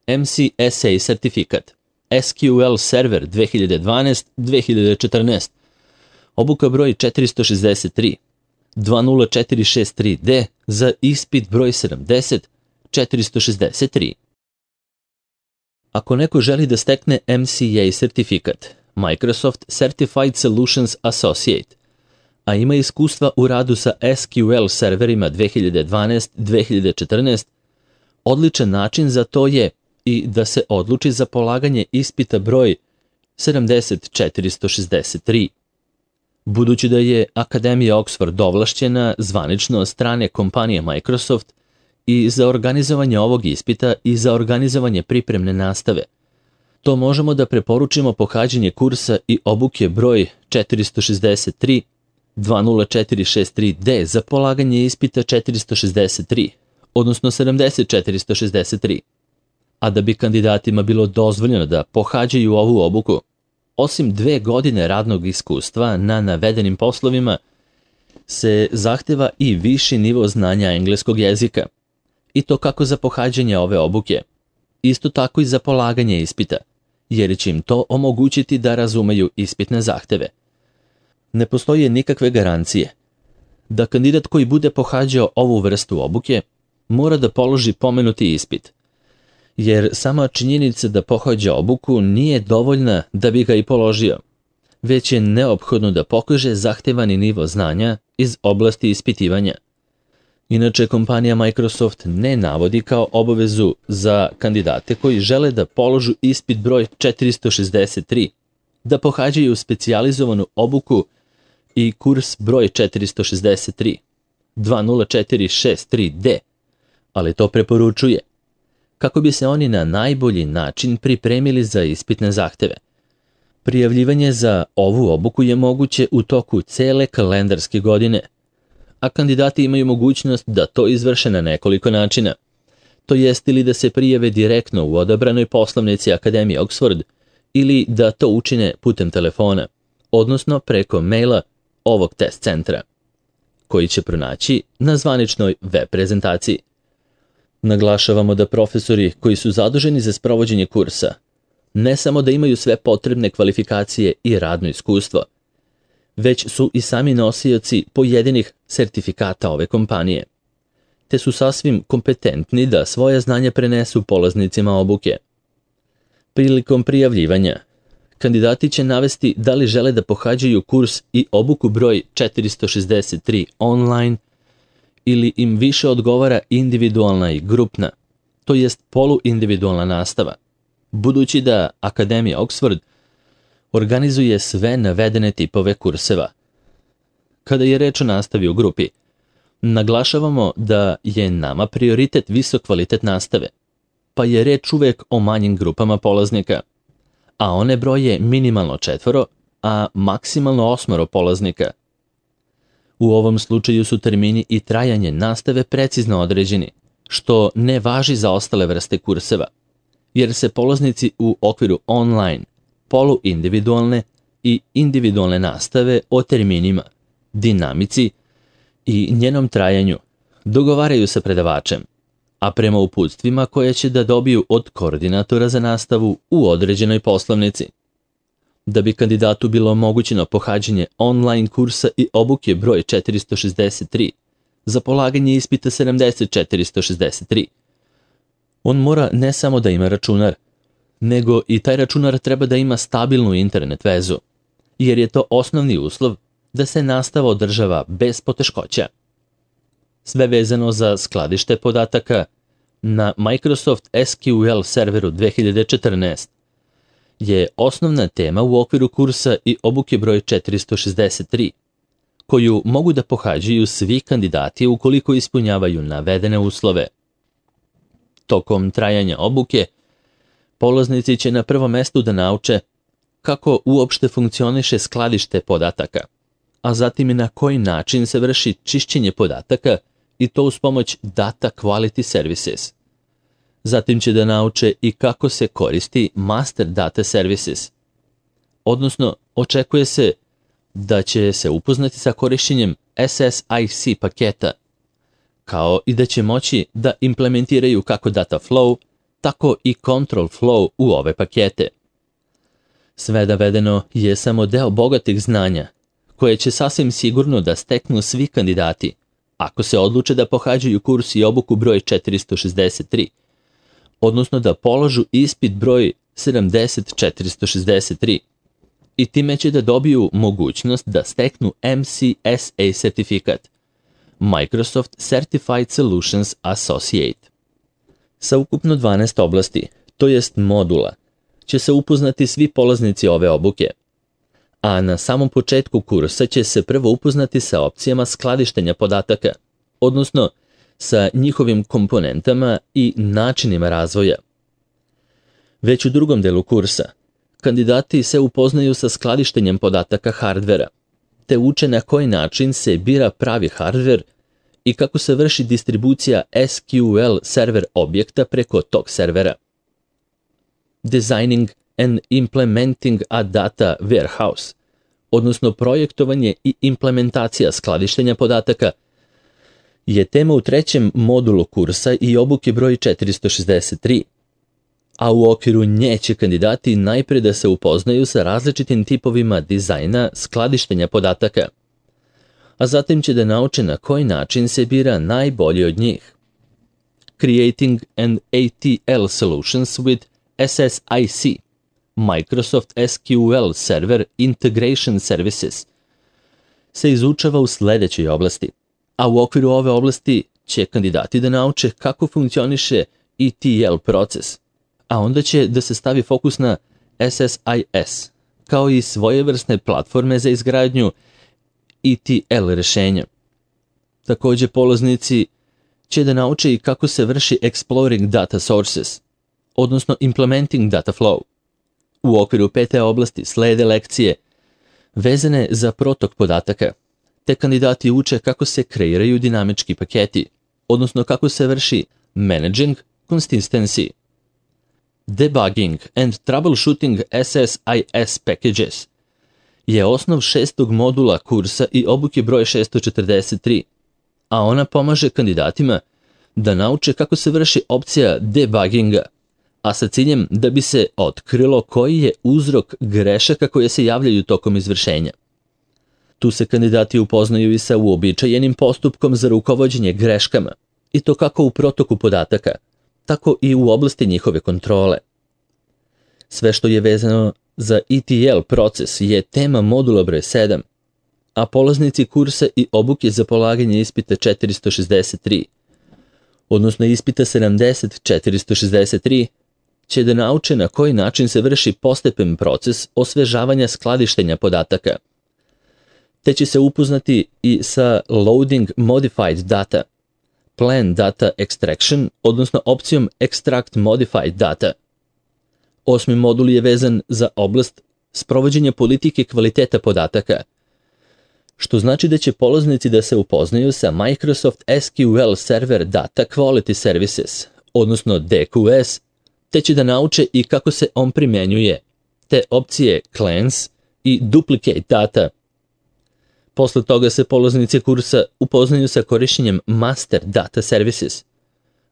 MCSA sertifikat, SQL Server 2012-2014, obuka broj 463, 20463D za ispit broj 70, 463. Ako neko želi da stekne MCA sertifikat, Microsoft Certified Solutions Associate, a ima iskustva u radu sa SQL serverima 2012-2014, odličan način za to je i da se odluči za polaganje ispita broj 70463. Budući da je Akademija Oxford ovlašćena zvanično od strane kompanije Microsoft i za organizovanje ovog ispita i za organizovanje pripremne nastave, to možemo da preporučimo pohađanje kursa i obuke broj 463, 20463D za polaganje ispita 463, odnosno 70463. A da bi kandidatima bilo dozvoljeno da pohađaju ovu obuku, osim 2 godine radnog iskustva na navedenim poslovima, se zahteva i viši nivo znanja engleskog jezika, i to kako za pohađanje ove obuke, isto tako i za polaganje ispita, jer će im to omogućiti da razumeju ispitne zahteve. Ne postoje nikakve garancije da kandidat koji bude pohađao ovu vrstu obuke mora da položi pomenuti ispit, jer sama činjenica da pohađa obuku nije dovoljna da bi ga i položio, već je neophodno da pokaže zahtevani nivo znanja iz oblasti ispitivanja. Inače, kompanija Microsoft ne navodi kao obavezu za kandidate koji žele da položu ispit broj 463, da pohađaju specijalizovanu obuku i kurs broj 463, 20463D, ali to preporučuje kako bi se oni na najbolji način pripremili za ispitne zahteve. Prijavljivanje za ovu obuku je moguće u toku cele kalendarske godine, a kandidati imaju mogućnost da to izvrše na nekoliko načina, to jest ili da se prijave direktno u odabranoj poslovnici Akademije Oxford ili da to učine putem telefona, odnosno preko maila ovog test centra, koji će pronaći na zvaničnoj web prezentaciji. Naglašavamo da profesori koji su zaduženi za sprovođenje kursa ne samo da imaju sve potrebne kvalifikacije i radno iskustvo, već su i sami nosioci pojedinih sertifikata ove kompanije, te su sasvim kompetentni da svoje znanje prenesu polaznicima obuke. Prilikom prijavljivanja, kandidati će navesti da li žele da pohađaju kurs i obuku broj 463 online ili im više odgovara individualna i grupna, to jest poluindividualna nastava, budući da Akademija Oxford organizuje sve navedene tipove kurseva. Kada je reč o nastavi u grupi, naglašavamo da je nama prioritet visok kvalitet nastave, pa je reč uvek o manjim grupama polaznika, a one broje minimalno 4, a maksimalno 8 polaznika. U ovom slučaju su termini i trajanje nastave precizno određeni, što ne važi za ostale vrste kurseva, jer se polaznici u okviru online, poluindividualne i individualne nastave o terminima, dinamici i njenom trajanju dogovaraju sa predavačem, a prema uputstvima koje će da dobiju od koordinatora za nastavu u određenoj poslovnici. Da bi kandidatu bilo omogućeno pohađanje online kursa i obuke broj 463 za polaganje ispita 70463, on mora ne samo da ima računar, nego i taj računar treba da ima stabilnu internet vezu, jer je to osnovni uslov da se nastava održava bez poteškoća. Sve vezano za skladište podataka na Microsoft SQL serveru 2014 je osnovna tema u okviru kursa i obuke broj 463, koju mogu da pohađaju svi kandidati ukoliko ispunjavaju navedene uslove. Tokom trajanja obuke, polaznici će na prvom mestu da nauče kako uopšte funkcioniše skladište podataka, a zatim i na koji način se vrši čišćenje podataka i to uz pomoć Data Quality Services. Zatim će da nauče i kako se koristi Master Data Services. Odnosno, očekuje se da će se upoznati sa korišćenjem SSIC paketa, kao i da će moći da implementiraju kako data flow, tako i control flow u ove pakete. Sve navedeno je samo deo bogatih znanja, koje će sasvim sigurno da steknu svi kandidati, ako se odluče da pohađaju kurs i obuku broj 463, odnosno da položu ispit broj 70463, i time će da dobiju mogućnost da steknu MCSA sertifikat, Microsoft Certified Solutions Associate. Sa ukupno 12 oblasti, to jest modula, će se upoznati svi polaznici ove obuke, a na samom početku kursa će se prvo upoznati sa opcijama skladištenja podataka, odnosno sa njihovim komponentama i načinima razvoja. Već u drugom delu kursa, kandidati se upoznaju sa skladištenjem podataka hardvera, te uče na koji način se bira pravi hardver i kako se vrši distribucija SQL server objekta preko tog servera. Designing and implementing a data warehouse, odnosno projektovanje i implementacija skladištenja podataka, je tema u trećem modulu kursa i obuke broj 463, a u okviru nje će kandidati najpre da se upoznaju sa različitim tipovima dizajna skladištenja podataka, a zatim će da nauče na koji način se bira najbolji od njih. Creating an ATL solutions with SSIC, Microsoft SQL Server Integration Services, se izučava u sledećoj oblasti, a u okviru ove oblasti će kandidati da nauče kako funkcioniše ETL proces, a onda će da se stavi fokus na SSIS, kao i svojevrsne platforme za izgradnju ETL rešenja. Takođe, polaznici će da nauče i kako se vrši exploring data sources, odnosno implementing data flow. U okviru pete oblasti slede lekcije vezane za protok podataka, te kandidati uče kako se kreiraju dinamički paketi, odnosno kako se vrši managing consistency. Debugging and troubleshooting SSIS packages je osnov šestog modula kursa i obuke broj 643, a ona pomaže kandidatima da nauče kako se vrši opcija debugginga, a sa ciljem da bi se otkrilo koji je uzrok grešaka koje se javljaju tokom izvršenja. Tu se kandidati upoznaju i sa uobičajenim postupkom za rukovođenje greškama, i to kako u protoku podataka, tako i u oblasti njihove kontrole. Sve što je vezano za ETL proces je tema modula broj 7, a polaznici kursa i obuke za polaganje ispita 463, odnosno ispita 70463, će da nauče na koji način se vrši postepen proces osvežavanja skladištenja podataka, te će se upoznati i sa loading modified data, plan data extraction, odnosno opcijom extract modified data. Osmi modul je vezan za oblast sprovođenja politike kvaliteta podataka, što znači da će polaznici da se upoznaju sa Microsoft SQL Server Data Quality Services, odnosno DQS, te će da nauče i kako se on primjenjuje, te opcije cleanse i duplicate data. Posle toga se polaznici kursa upoznaju sa korišćenjem master data services,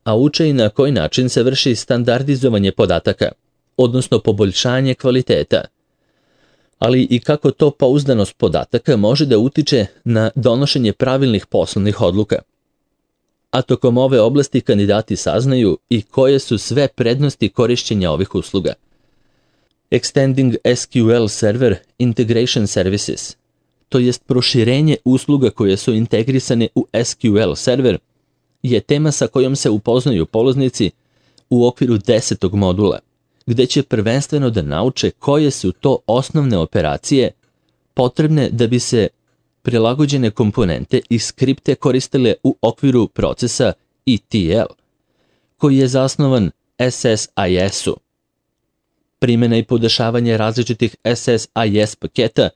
a uče i na koji način se vrši standardizovanje podataka, odnosno poboljšanje kvaliteta, ali i kako to pouzdanost podataka može da utiče na donošenje pravilnih poslovnih odluka. A tokom ove oblasti kandidati saznaju i koje su sve prednosti korišćenja ovih usluga. Extending SQL Server Integration Services, to jest proširenje usluga koje su integrisane u SQL server, je tema sa kojom se upoznaju polaznici u okviru 10. modula, gde će prvenstveno da nauče koje su to osnovne operacije potrebne da bi se prilagođene komponente i skripte koristile u okviru procesa ETL, koji je zasnovan SSIS-u. Primjena i podešavanje različitih SSIS paketa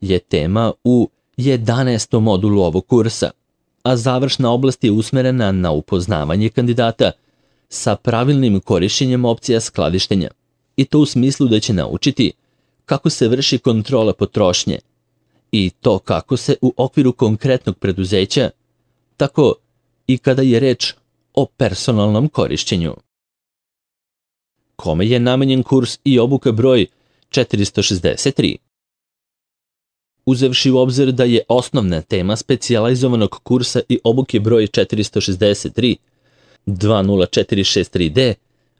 je tema u 11. modulu ovog kursa, a završna oblast je usmerena na upoznavanje kandidata sa pravilnim korišćenjem opcija skladištenja, i to u smislu da će naučiti kako se vrši kontrola potrošnje i to kako se u okviru konkretnog preduzeća, tako i kada je reč o personalnom korišćenju. kome je namenjen kurs i obuka broj 463. Uzevši u obzir da je osnovna tema specijalizovanog kursa i obuke broj 463 20463D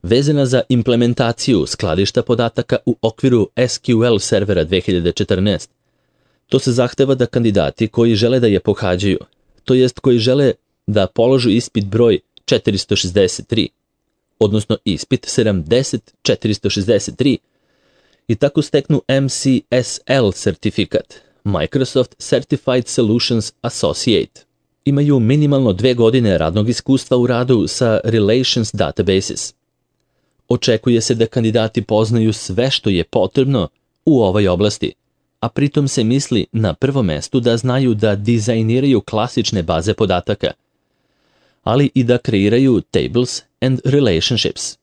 vezana za implementaciju skladišta podataka u okviru SQL servera 2014. To se zahteva da kandidati koji žele da je pohađaju, to jest koji žele da položu ispit broj 463, odnosno ispit 70463, i tako steknu MCSL certifikat, Microsoft Certified Solutions Associate. Imaju minimalno 2 godine radnog iskustva u radu sa Relations Databases. Očekuje se da kandidati poznaju sve što je potrebno u ovoj oblasti, a pritom se misli na prvom mestu da znaju da dizajniraju klasične baze podataka, ali i da kreiraju tables and relationships.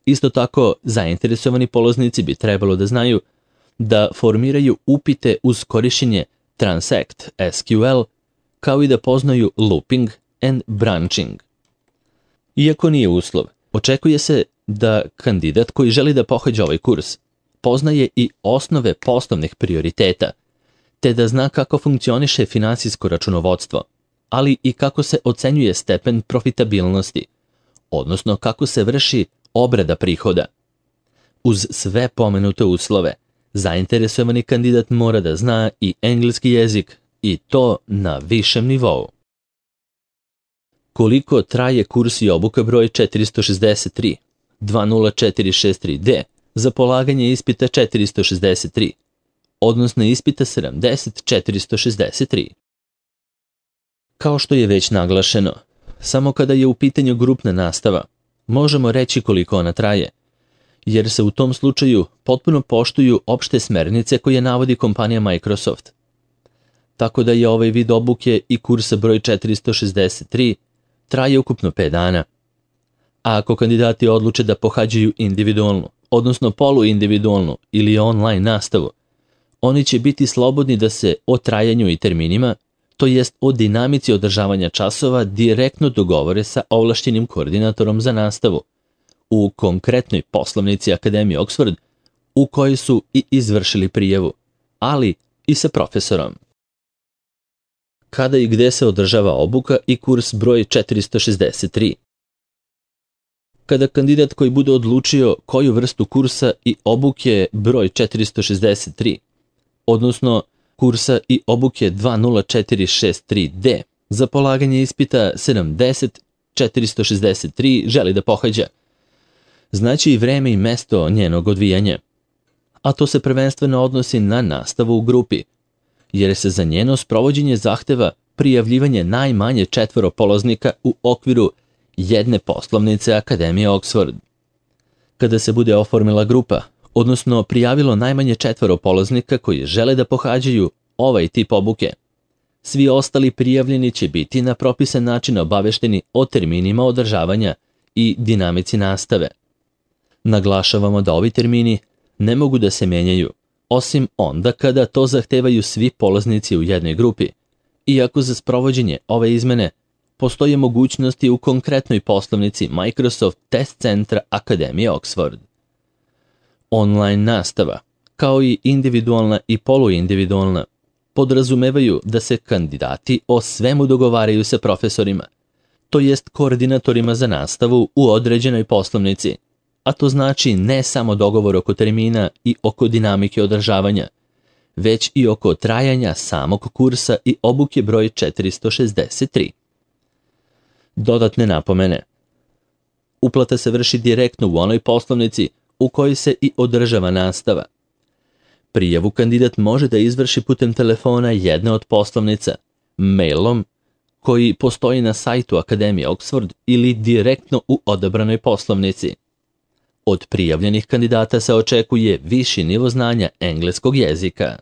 Isto tako, zainteresovani polaznici bi trebalo da znaju da formiraju upite uz korišćenje Transact SQL, kao i da poznaju looping and branching. Iako nije uslov, očekuje se da kandidat koji želi da pohađa ovaj kurs poznaje i osnove poslovnih prioriteta, te da zna kako funkcioniše finansijsko računovodstvo, ali i kako se ocenjuje stepen profitabilnosti, odnosno kako se vrši obrada prihoda. Uz sve pomenute uslove, zainteresovani kandidat mora da zna i engleski jezik, i to na višem nivou. Koliko traje kurs i obuka broj 463 20463D za polaganje ispita 463, odnosno ispita 70463? Kao što je već naglašeno, samo kada je u pitanju grupna nastava, možemo reći koliko ona traje, jer se u tom slučaju potpuno poštuju opšte smernice koje navodi kompanija Microsoft. Tako da je ovaj vid obuke i kursa broj 463 traje ukupno 5 dana. A ako kandidati odluče da pohađaju individualnu, odnosno poluindividualnu ili online nastavu, oni će biti slobodni da se o trajanju i terminima, to jest o dinamici održavanja časova, direktno dogovore sa ovlašćenim koordinatorom za nastavu u konkretnoj poslovnici Akademije Oxford u kojoj su i izvršili prijavu, ali i sa profesorom. Kada i gde se održava obuka i kurs broj 463? Kada kandidat koji bude odlučio koju vrstu kursa i obuke broj 463, odnosno kursa i obuke 20463D za polaganje ispita 70463 želi da pohađa, znači i vreme i mesto njenog odvijanja, a to se prvenstveno odnosi na nastavu u grupi, jer se za njeno sprovođenje zahteva prijavljivanje najmanje 4 polaznika u okviru jedne poslovnice Akademije Oxford. Kada se bude oformila grupa, odnosno prijavilo najmanje 4 polaznika koji žele da pohađaju ovaj tip obuke, svi ostali prijavljeni će biti na propisan način obavešteni o terminima održavanja i dinamici nastave. Naglašavamo da ovi termini ne mogu da se menjaju, osim onda kada to zahtevaju svi polaznici u jednoj grupi, iako za sprovođenje ove izmene postoje mogućnosti u konkretnoj poslovnici Microsoft Test Centra Akademije Oxford. Online nastava, kao i individualna i poluindividualna, podrazumevaju da se kandidati o svemu dogovaraju sa profesorima, to jest koordinatorima za nastavu u određenoj poslovnici, a to znači ne samo dogovor oko termina i oko dinamike održavanja, već i oko trajanja samog kursa i obuke broj 463. Dodatne napomene. Uplata se vrši direktno u onoj poslovnici u kojoj se i održava nastava. Prijavu kandidat može da izvrši putem telefona jedne od poslovnica, mailom koji postoji na sajtu Akademije Oxford ili direktno u odabranoj poslovnici. Od prijavljenih kandidata se očekuje viši nivo znanja engleskog jezika.